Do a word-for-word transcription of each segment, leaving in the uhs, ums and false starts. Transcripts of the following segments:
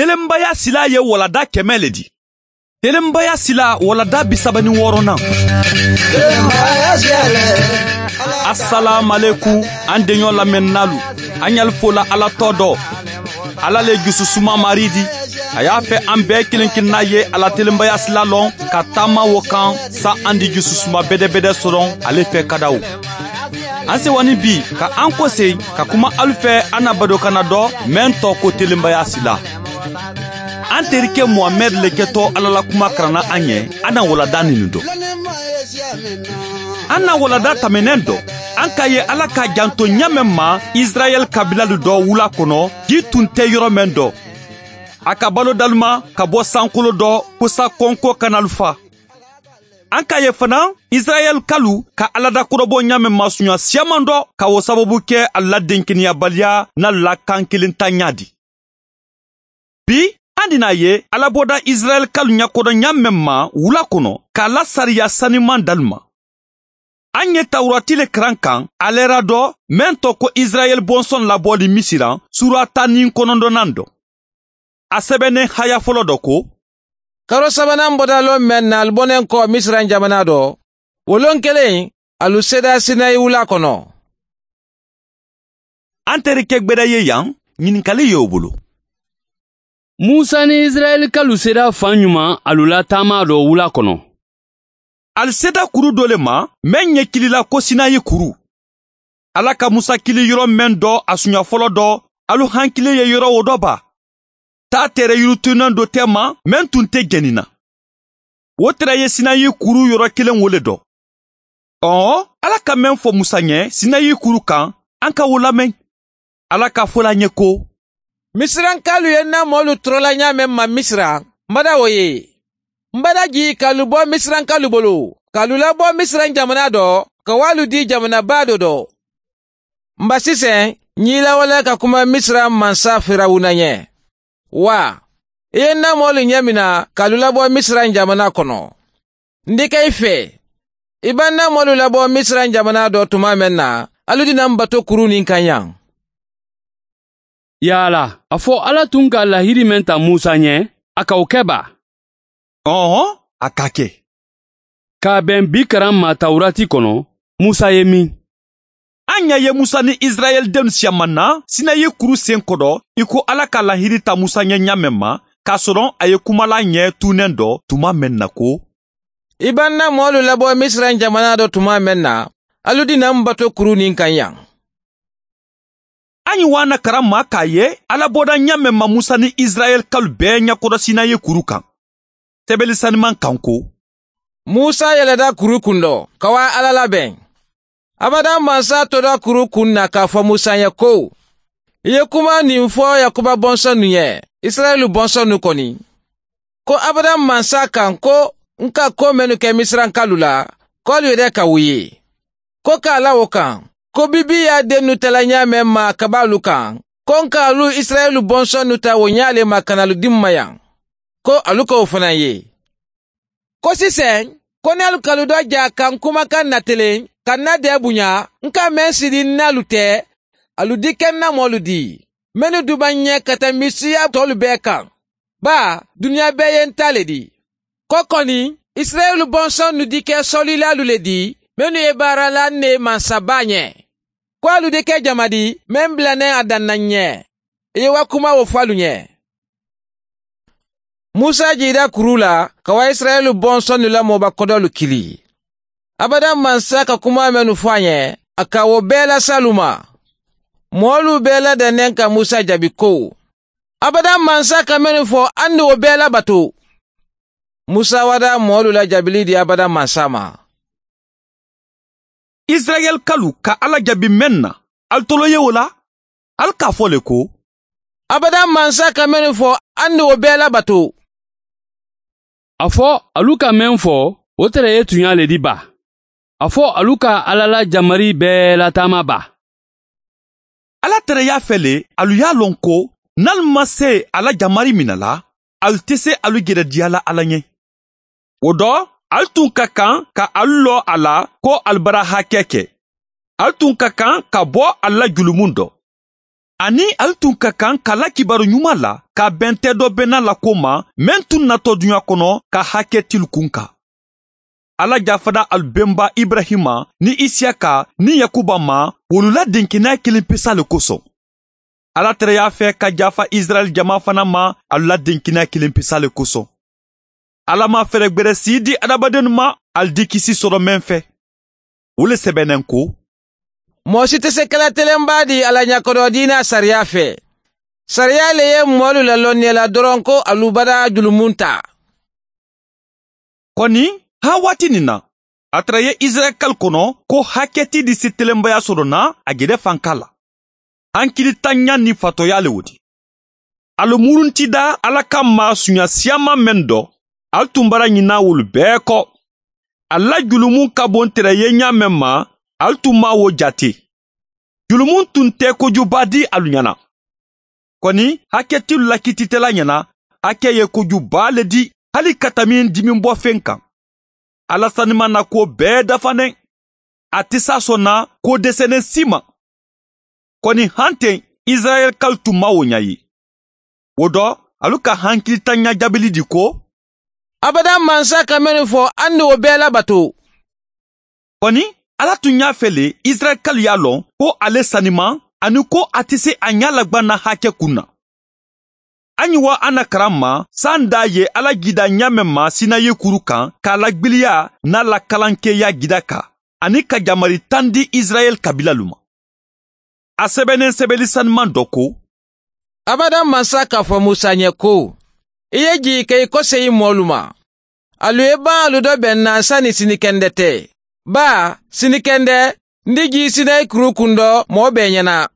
Telenbaya silaa ye waladaa kɛmɛ le di. Telenbaya silaa waladaa bi saba ni wɔɔrɔnan. Asalaamualeykum, an deɲɔ lamɛnninaalu, an ɲali fola ala tɔ dɔ. Ala le jususuma maari di. A y'a fɛ an bɛɛ kelen kelenna ye a la telenbaya sila lɔn ka taama wo kan, sa an di jususuma bedebede sɔrɔ ale fɛ kadaw. An sewani bi ka an kose ka kuma alu fɛ, an na badokanna dɔ mɛn tɔ ko telenbaya sila. An terikɛ muhamɛd le kɛtɔ ala la kuma karanna an ye. An na walada ninu dɔ. An na walada tamɛnɛn dɔ, an ka ye ala ka janto ɲamɛn ma. Israɛl kabilalu dɔ wula kɔnɔ, ji tun tɛ yɔrɔ mɛn dɔ. A ka balo daluma ka bɔ sankolo dɔ kosa kɔnko kanalu fa. An ka ye fana, israɛl kalu ka alada kɔrɔbɔ ɲamɛn masuɲa siyaman dɔ ka wo sababu kɛ a la denkeniyabaliya na la kan kelen ta ɲa di. Bi, an dina ye alabɔda israɛl kalu ɲakodɔn ɲamɛn ma wula kɔnɔ k'a la sariya saniman daluma. An ye tawurati le karan kan a lɛra dɔ mɛn tɔ ko israɛl bɔnsɔn labɔli misiran sura tan ni kɔnɔntɔnnan dɔ. A sɛbɛnnen haya fɔlɔ dɔ ko, karo sabanan bɔda lon mɛn na ali bɔnnen kɔ misiran jamana dɔ, wo lon kelen, alu seda sinayi wula kɔnɔ. An terikɛ gbɛda ye yan, ɲininkali ye o bolo. Musa ni israɛlikalu seda fan ɲuman alu la taama dɔ wula kɔnɔ. Ali seda kuru dɔ le ma, mɛn ɲɛkilila ko sinayi kuru. Ala ka musa kili yɔrɔ mɛn dɔ a suɲa fɔlɔ dɔ, alu hankili ye yɔrɔ wo dɔ ba. Taa tere yiritunan dɔ tɛ ma, mɛn tun tɛ jɛnina. Wo tere ye sinayi kuru yɔrɔ kelen wo le dɔ. Ɔɔ, ala ka mɛn fɔ musa ɲɛ sinayi kuru kan, an ka wo lamɛn. Ala ka fo la ɲɛ ko, misirankalu ye n na moolu tɔrɔla ɲaa meŋ ma misira, m bada wo ye. M bada jii ka alu bo misirankalu bolo, ka alu labo misiran jamana dɔ, ka wo alu dii jamana baa do dɔ. M ba siseŋ, ǹ ye i lawaleya ka kuma misiran mansa firawuna ɲɛ. Waa, i ye n na moolu ɲɛmina ka alu labo misiran jamana kono. N dike i fee, i be n na moolu labo misiran jamana do tuma meŋ na, alu dina m bato kuru nin kaŋ yaŋ. Yaala, a fo ala tun ka lahiri meŋ ta musa ɲe, a ka wo ke baa? Ɔhɔn, a ka ke. Ka a beŋ bi karan ma tawurati kono, musa ye min? An ɲa ye musa ni israɛl dennu siyamanna sinayi kuru sen kodo, i ko ala ka lahiri ta musa ɲe ɲaameŋ ma, k'a sɔrɔ a ye kumala ɲe tuunen do tuma meŋ na ko, i be n na moolu labo misiran jamana do tuma meŋ na, alu dina m bato kuru nin kaŋ yaŋ. An ɲi waana karan ma k'a ye ala boda ɲaameŋ ma musa ni israɛl kalu bee ɲakodo sinayi kuru kaŋ. Sebeli saniman kaŋ ko, musa yeleda kuru kundo ka waa ala labeŋ. Abada mansa toda kuru kun na k'a fo musa ye ko, i ye kuma nin fo yakuba bonsonnu ye, isirayila bonsonnu koni, ko abada mansa kaŋ ko, n ka ko mennu ke misirankalu la, ko alu ye de ka wo ye. Ko ka a la wo kaŋ, ko bibiya dennu tala ɲaameŋ ma kabaalu kaŋ, ko n ka alu isirayila bonsonnu ta wo ɲaa le ma ka na alu dimma yaŋ, ko alu ka wo fanaŋ ye. Ko siseŋ, ko niŋ alu ka alu do jaa kaŋ kumakaŋ na teleŋ ka n na dee buɲa, n ka meŋ sidi n naalu te, alu dike n na moolu dii, mennu duba n ye ka ta misiya toolu bee kaŋ. Baa, duniya bee ye n taa le di. Ko koni, isirayila bonsonnu dike solilaalu le di, mennu ye baara la n ne mansa baa ɲe. Ko alu dike jama di meŋ bula ne a danna n ye, i ye wa kuma wo fo alu ɲe. Musa jiida kuru la ka wa isirayila bonsonnu la mooba kodolu kili. Abada mansa ka kuma mennu fo a ɲe, a ka wo bee lasi alu ma. Moolu bee la danneŋ ka musa jaabi ko, abada mansa ka mennu fo, anni wo bee la bato. Musa wada moolu la jaabili di abada mansa ma. Isirayɛli kalu ka ala jaabi meŋ na, ali tolo ye wo la? Ali ka a fo le ko, abada mansa ka mennu fo, anni wo bee la bato. A fo, alu ka meŋ fo, wo tere ye tuɲa le di ba? A fo, alu ka ala la jamari bee lataama ba? Ala tereya fɛ le, alu ye a loŋ ko, niŋ ali maŋ se a la jamari mina la, ali te se alu jedediya la ala ɲe. Wo do, ali tun ka kaŋ ka alu loo a la ko ali bara hakee ke. Ali tun ka kaŋ ka bo ali la julumun do. aniŋ ali tun ka kaŋ ka la kibaaru ɲumaa la ka a beŋ teedoo bennaa la kuwo ma meŋ tun natoo duɲaa kono ka hakkeetilu kunkaa. Alla jaafata ali bemba iburayima niŋ isiyaka niŋ yakuba ma wolu la denkeneyaa kiliŋ pisaa le kosoŋ. Alla tara ye a fee ka jaafa isirayila jamaa fanaa ma alu la denkeneyaa kiliŋ pisaa le kosoŋ. Alla maŋ feregbere sii dii hadamadennu ma ali dikisi soto meŋ fee. Wo le sebeneŋ ko, moo si te se ke la telenbaa dii a la ɲakodoo diinaa sariyaa fee. Sariyaa le ye moolu lalonneela doroŋ ko alu badaa julumuntaa. Koni, haa waati niŋ na a tara ye isirayila kali kono ko hakkeeti di si telenbayaa soto na a jede fankaa la. Hankili tanɲa niŋ fatooyaa le wo ti. Alu muruntidaa alla ka maasuɲa siyaamaa meŋ do, alu tun bara ɲinaa wolu bee ko. Alu la julumu ka bo nte la ye ɲaa meŋ ma, alu tun maŋ wo jaati. Julumu tun te kojubaa dii alu ɲaana. Koni, hakkeetilu la kiititalaa ɲaana hakkee ye kojubaa le dii hali ka tambi dimimbofeŋ kaŋ. Alla sanimaŋ na kuwo bee dafa neŋ. A ti saasoŋ na kuwo deseneŋ sii ma. Koni, hanteŋ isirayila kali tun maŋ wo ɲaa ye. Wo do, alu ka hankili tanɲa jaabili dii ko, abadaŋ mansa ka mennu fo, alu na wo bee labato. Koni, alla tun ye a fele isirayila kali ye a loŋ ko a le sanimaŋ, aniŋ ko a ti se a ɲaa lagbanna hakkee kuŋ na. A ɲi wa a na karaŋ ma saayiŋ daa ye alla jiidaa ɲaa meŋ ma sinayi kuru kaŋ ka a lagbiliya niŋ a la kalankeeyaa jiidaa ka aniŋ ka jamari taŋ dii isirayila kabiilalu ma. A sebeneŋ sebeeli sanimaŋ do ko, abadaŋ mansa ka fo musa ɲe ko, i ye jii ka i koseyi moolu ma. Alu ye baŋ alu do beŋ na sani sinikende te. Baa, sinikende, n di jii sinayi kuru kundo moo bee ɲaana.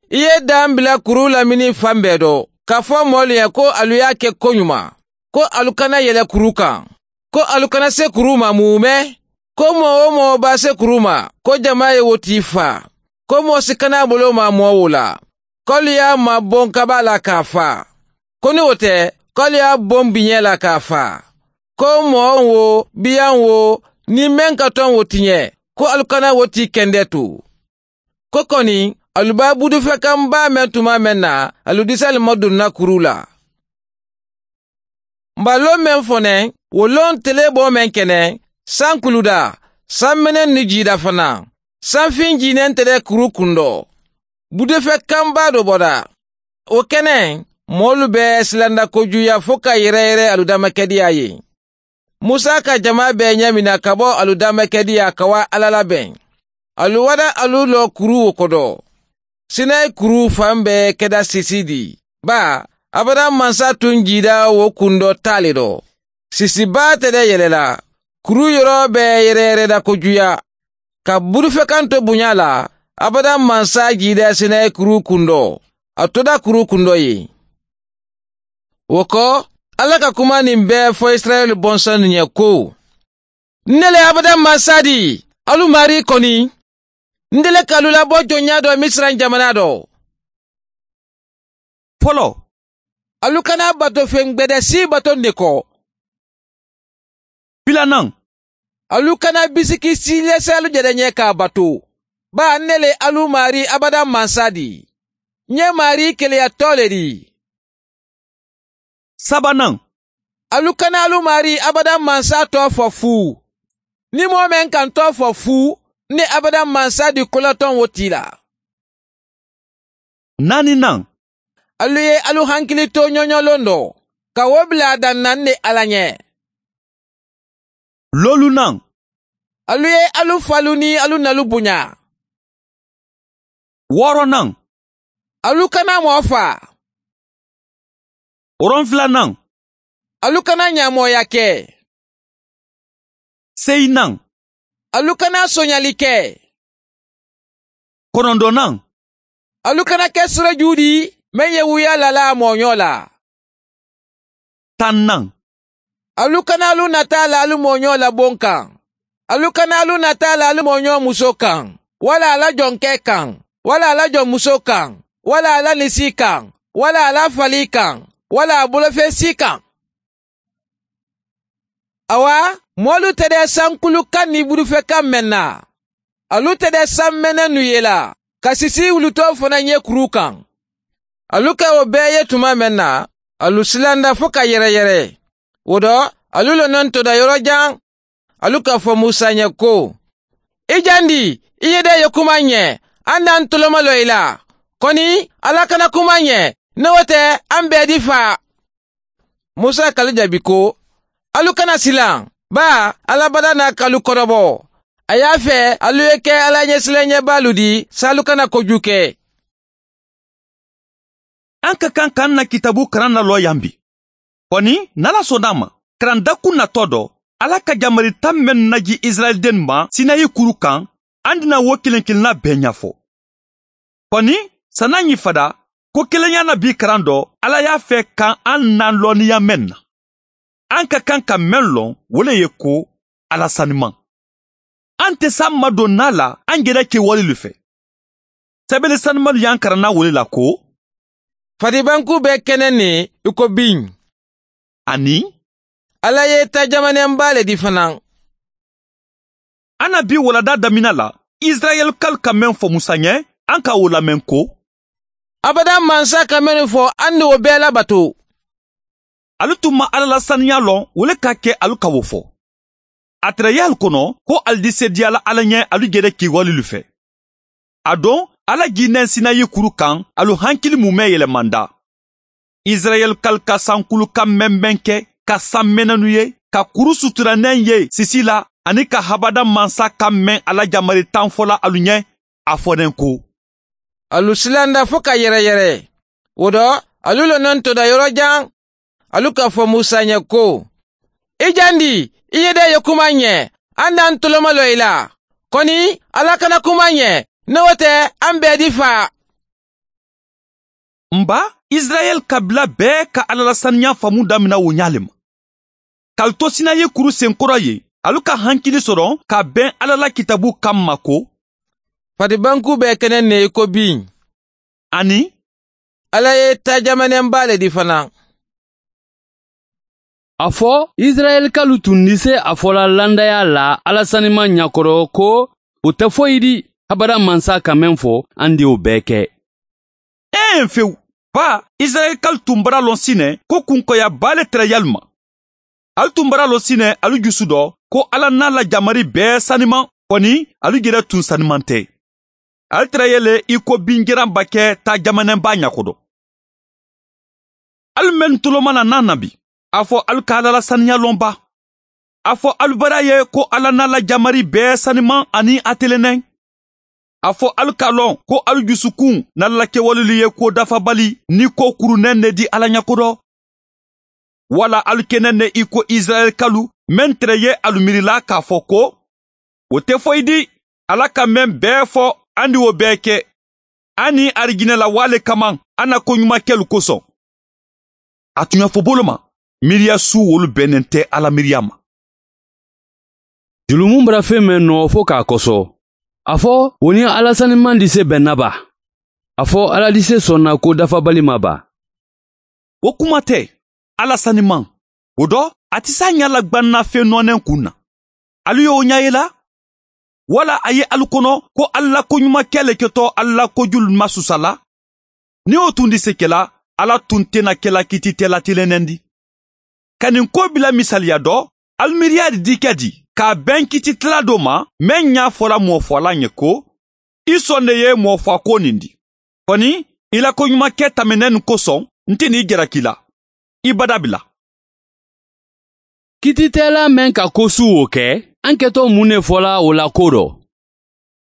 I ye daŋ bila kuru lamini faŋ bee do ka fo moolu ye ko alu ye a ke koɲumaa, ko alu kana yele kuru kaŋ, ko alu kana se kuru ma muume, ko moo-wo-moo be a se kuru ma, ko jamaa ye wo tii faa, ko moo si kana a bolo maa moo wo la, ko alu ye a maa boŋ kabaa la ka a faa, ko niŋ wo te, ko alu ye a boŋ biñee la ka a faa, ko moo wo biyaŋ wo niŋ meŋ ka toŋ wo tiñe, ko alu kana wo tii kendee tu. Ko koni, alu be budufekaŋ baa meŋ tuma meŋ na, alu disa le maduŋ na kuru la. M̀ be a loŋ meŋ fo neŋ, wo loŋ telee boo meŋ ke neŋ, sankuludaa, sanmeneŋ niŋ jiidaa fanaa, sanfiŋ jiinentele kuru kundoo, budufekaŋ baa do bodaa. Wo ke neŋ, moolu be silanda kojuuyaa fo ka yereeyeree alu damakediyaa ye. Musa ka jamaa bee ɲamina ka bo alu damakediyaa ka waa alla la beŋ. Alu wada alu loo kuru wo kodo. Sinayi kuru faŋ be keda sisi di. Baa, abadaŋ mansa tuŋ jiidaa wo kundoo taa le do. Sisi baa te de yelela. Kuru yoroo be yereyereeda kojuuyaa. Ka budufekanto buɲaa la, abadaŋ mansa jiidaa sinayi kuru kundoo, a todaa kuru kundoo ye. Wo ko, alla ka kumaa niŋ bee fo isirayila bonsannu ɲe ko, n ne le abadaŋ mansa di, alu maarii koni. N de le ka alu labo joŋ ɲaa do misira jamanaa do. Foloo, alu kana bato feŋ gbede sii batondi ko. Filanaŋ, alu kana bisiki sii lesaalu jede ɲee ka a bato. Baa n ne le alu maarii abadaŋ mansa di. N ye maarii keleya too le di. Sabanaŋ, alu kana alu maarii abadaŋ mansa too fo fuu. Niŋ moo meŋ ka n too fo fuu, n ne abadaŋ mansa di kolotoŋ wo tii la. Naani naŋ, alu ye alu hankili tooɲooɲoo londoo ka wo bila a daŋ na n ne alla ɲe. Loolu naŋ, alu ye alu faalu niŋ alu nalu buɲaa. Wooro naŋ, alu kana moo faa. Woronfila naŋ, alu kana ɲaamooyaa ke. Seyi naŋ, alu kana soɲali ke. Konondonaŋ, alu kana ke sirojuu ti meŋ ye wuyaa laa la a mooɲoo la. Taŋ naŋ, alu kana alu nataa la alu mooɲoo la boŋ kaŋ. Alu kana alu nataa la alu mooɲoo musoo kaŋ, walla a la jonkee kaŋ, walla a la jonmusoo kaŋ, walla a la nisii kaŋ, walla a la falii kaŋ, walla a bolofeesii kaŋ. Awa, moolu te de sankulu kaŋ niŋ budufekaŋ meŋ na, alu te de sanmenennu ye la. ka sisii wulutoo fanaa ñee kuruu kaŋ. Alu ka wo bee ye tumaa meŋ na, alu silanda fo ka yereyere. Wo to, alu lononto da yoro jaŋ. Alu ka fo musa ñe ko, i jandi, i ye de ye kuma ñe. An na n toloma lo i la. Koni, ala kana kuma ñe. Ne wo te, an bee di faa. Musa ka alu jaabi ko, alu kana silaŋ. Baa, ala bada na ka alu korobo. A ye a fee alu ye ke ala ñesilañebaalu di saalu kana koju ke. An ka kaŋ ka an na kitaabu karaŋ na loo yaŋ bi. Koni, ni ala sooda a ma, karaŋ dakun natoo do, ala ka jamari taŋ mennu naji isirayila dennu ma sinayi kuru kaŋ, an dina wo kiliŋ kiliŋ na bee ñafo. Koni, sani a ñiŋ fada, ko keleŋyaa na bii karaŋ do, ala ye a fee kaŋ an na looniyaŋ meŋ na. An ka kaŋ ka meŋ loŋ wo le ye ko, ala sanimaŋ. An te saŋ ma doŋ naa la an geda kewalilu fe. Sebele sanimalu ye an karaŋ na wo le la ko, fadibankuu be keneŋ ne i ko biŋ. Aniŋ, ala ye taa jamaneŋ baa le di fanaa. An na bii waladaa damina la, isirayila kalu ka meŋ fo musa ñe, an ka wo lameŋ ko, abada mansa ka mennu fo, an ni wo bee labato. Ali tun maŋ ala la saniyaa loŋ wo le ka a ke ali ka wo fo. A tara ye ali kono ko ali di seediya la ala ñe ali gede kewalilu fe. A doŋ, ala jiineŋ sinayi kuru kaŋ, ali hankili mu meŋ yelemanda. Isirayila kalu ka sankulu kaŋ meŋ meŋ ke, ka saŋ menenu ye, ka kuru sutura neŋ ye sisi la, aniŋ ka habada mansa kaŋ meŋ ala jamari taŋ fo la alu ñe, a fo neŋ ko, alu silanda fo ka yereyere. Wo to, alu lononto da yoro jaŋ. Alu ka fo musa ñe ko, i jandi, i ye de ye kuma ñe. An na n toloma lo i la. Koni, ala kana kuma ñe. Ne wo te, an bee di faa. N ba, isirayila kabila bee ka ala la saniyaa faamu damina wo ñaa le ma. Ka ali to sinayi kuru senkoro ye, alu ka hankili soro ka beŋ ala la kitaabu kamma ko, fatibankuu be keneŋ ne i ko biŋ. Aniŋ, ala ye taa jamaneŋ baa le di fanaa. A fo, isirayila kalu tun di se a fo la landayaa la ala sanimaŋ ñakoro ko, wo te foyi di, habada mansa ka meŋ fo, an di wo bee ke. Ee fewu, baa, isirayila kalu tun bara loŋ si ne ko kunkoyaa baa le tara ye alu ma. Ali tun bara loŋ si ne ali jusu do ko ala na la jamari bee sanimaŋ, koni ali jere tun sanimaŋ te. Ali tara ye le i ko binjiraŋ ba ke taa jamaneŋ baa ñakodo. Ali mennu toloma la naa nabi, a fo ali ka ala la saniya loŋ ba? A fo ali bara ye ko ala na la jamari bee sanimaŋ aniŋ a teleneŋ. A fo ali ka loŋ ko ali jusukuŋ na la kewalelu ye ko dafabali ni ko kuruneŋ ne di ala ñakodo. Wala ali ke neŋ ne i ko isirayila kalu meŋ tara ye alu miirila ka a fo ko, wo te foyi di, ala ka meŋ bee fo, andi wo bee ke. Aniŋ arijinela waale kamaŋ a na koɲumakelu kosoŋ. A tuɲafo bolo ma, miiriya suu wolu bee neŋ te ala miiriya ma. Julumu bara feŋ meŋ noo fo ka a koso, a fo, wo niŋ ala sanimaŋ di se benna ba? A fo, ala di se sonna ko dafabali ma ba? Wo kuma te, ala sanimaŋ. Wo do, a ti se a ñaa la gbanna feŋ nooneŋ kuŋ na. Ali ye wo ñaa ye la? Wala a ye ali kono ko ali la koɲumakee le keto ali la kojulu masusa la? Niŋ wo tundi se ke la, ala tun te na ke la kiititela tilenendi. Ka ñiŋ koo bila misaliya do, ali miiriyaari di ka di ka a beŋ kiititela do ma, meŋ ñaa fola moo fo la ñe ko, i sonde ye moo fo a ko niŋ di. Koni, i la koɲumakee tamenenu kosoŋ, nte niŋ i jaraki la i badabila. Kiititeelaa meŋ ka kosuwo ke, aŋ keto muŋ ne fola wo la koo do?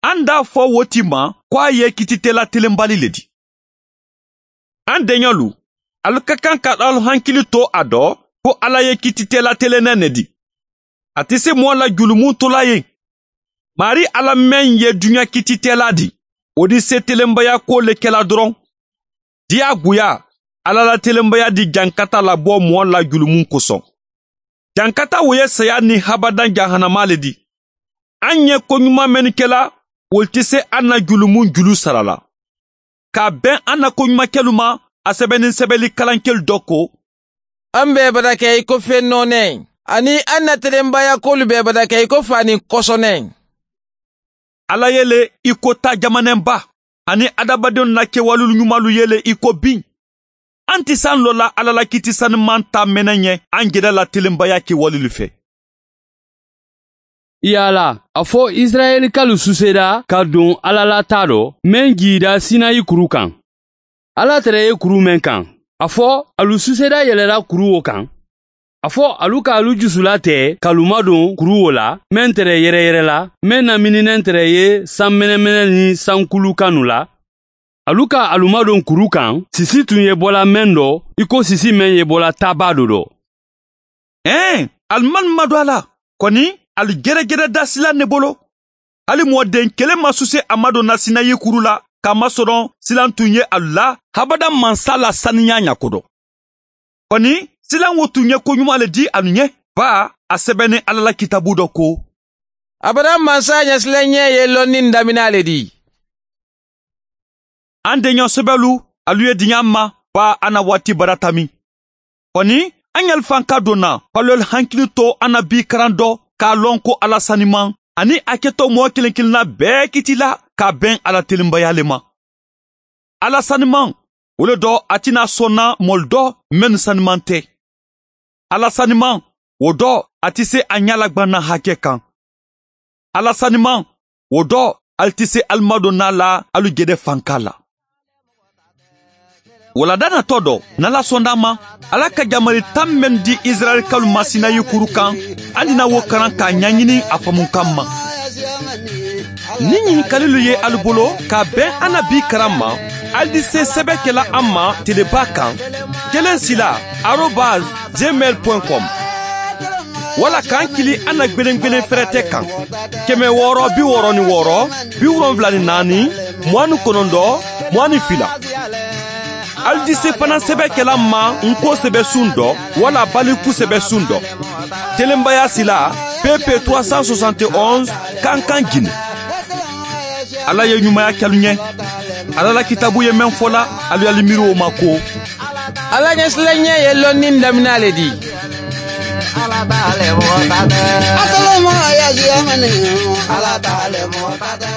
Aŋ daa fo wo ti ma ko a ye kiititeelaa telenbali le di. Aŋ deɲolu, ali ka kaŋ ka alu hankili to a do ko alla ye kiititeelaa teleneŋ ne di. A ti si moo la julumu tula ye. Maarii alla meŋ ye duɲa kiititeelaa di, wo di setelenbayaa koo le kela doroŋ. Diyaaguyaa, alla la telenbayaa di jankata la bo moo la julumu kosoŋ. Jankata wo ye sayaa niŋ habadaŋ jahanamaa le di. Aŋ ye koɲumaa mennu kela, wolu ti se aŋ na julumu julu sara la. Ka a beŋ aŋ na koɲumakelu ma, a sebeninsebelikalankelu do ko, aŋ be i badake i ko feŋ nooneŋ, aniŋ aŋ na telenbaayaa koolu be i badake i ko faaniŋ kosoneŋ. Alla ye le i ko taa jamaneŋ ba. aniŋ hadamadenw na kewalulu ñumalu ye le i ko biŋ. An ti saŋ lo la alla la kiiti sanimaŋ taa mene ñe an jeda la telenbaya kewalulu fe. Yaala a fo isirayeli kalu suseda ka duŋ alla la taa do meŋ jiida sinayi kuru kaŋ. Alla tere ye kuru meŋ kaŋ a fo alu suseda yelela kuru wo kaŋ. A fo alu ka alu jusula te ka lu maduŋ kuru wo la meŋ tere yereyere la meŋ na mininen tere ye saŋ menemene niŋ saŋ kulu kanu la. Alu ka alu maduŋ kuru kaŋ sisi tun ye bola meŋ do i ko sisi meŋ ye bola taabaa do do. Ee, alu maŋ maduŋ a la. Koni alu jerejere da silaŋ ne bolo. Hali moo deŋ kele maŋ suse a maduŋ na sinayi kuru la ka masoroŋ silaŋ tun ye alu la habadaŋ mansa la saniyaa ña kodo. Koni silaŋ wo tun ye koɲumaa le di alu ɲe. Baa a sebeneŋ alla la kitaabu do ko, abadaŋ mansa ɲasilaɲee ye lonniŋ daminaa le di. An deɲoo sebelu, alu ye diɲaa ma. Baa a na waati barata mi. Koni an ɲalu faŋ ka donna palolu hankili to an na bii karaŋ do ka a loŋ ko alla sanimaŋ aniŋ a ke to moo kiliŋ kiliŋ na bee kiti la ka a beŋ a la telimbayaa le ma. Alla sanimaŋ, wo le do a ti naa sonna moolu do mennu sanimaŋ te. Alla sanimaŋ, wo do a ti see a ɲaalagbanna hake kaŋ. Alla sanimaŋ, wo do ali ti see ali madonnaa la ali jede fankaa la. Wala dana to do nala sonda ma, alla ka jamali taŋ mennu di isirayeli kalu ma sinayi kuru kaŋ, ali na wo karaŋ ka a ɲaɲini a famunkaŋ ma. Niŋ ɲininkalilu ye ali bolo ka a beŋ a na bii karaŋ ma, ali di see sebe kela a ma telebaa kaŋ, keleŋ sila arobas gmail point com. Wala ka n kili a na gbelengbelen ferete kaŋ, keme wooro bi wooro ni wooro, bi wolonwula ni naani, muwaani konondo, muwaani fila. Ali di see fanaŋ sebe kela n ma n ko sebe suŋ do wala baliku sebe suŋ do. Telenbayaa sila, pepe trois cent soixante et onze, kankaŋ jini. Alla ye ɲumaya ke alu ɲe. Alla la kitaabu ye meŋ fo la, alu ye alu miiri wo ma ko, alla ɲasilaɲee ye lonniŋ daminaa le di. Alla taa le moo taa de. Alla taa le moo taa de.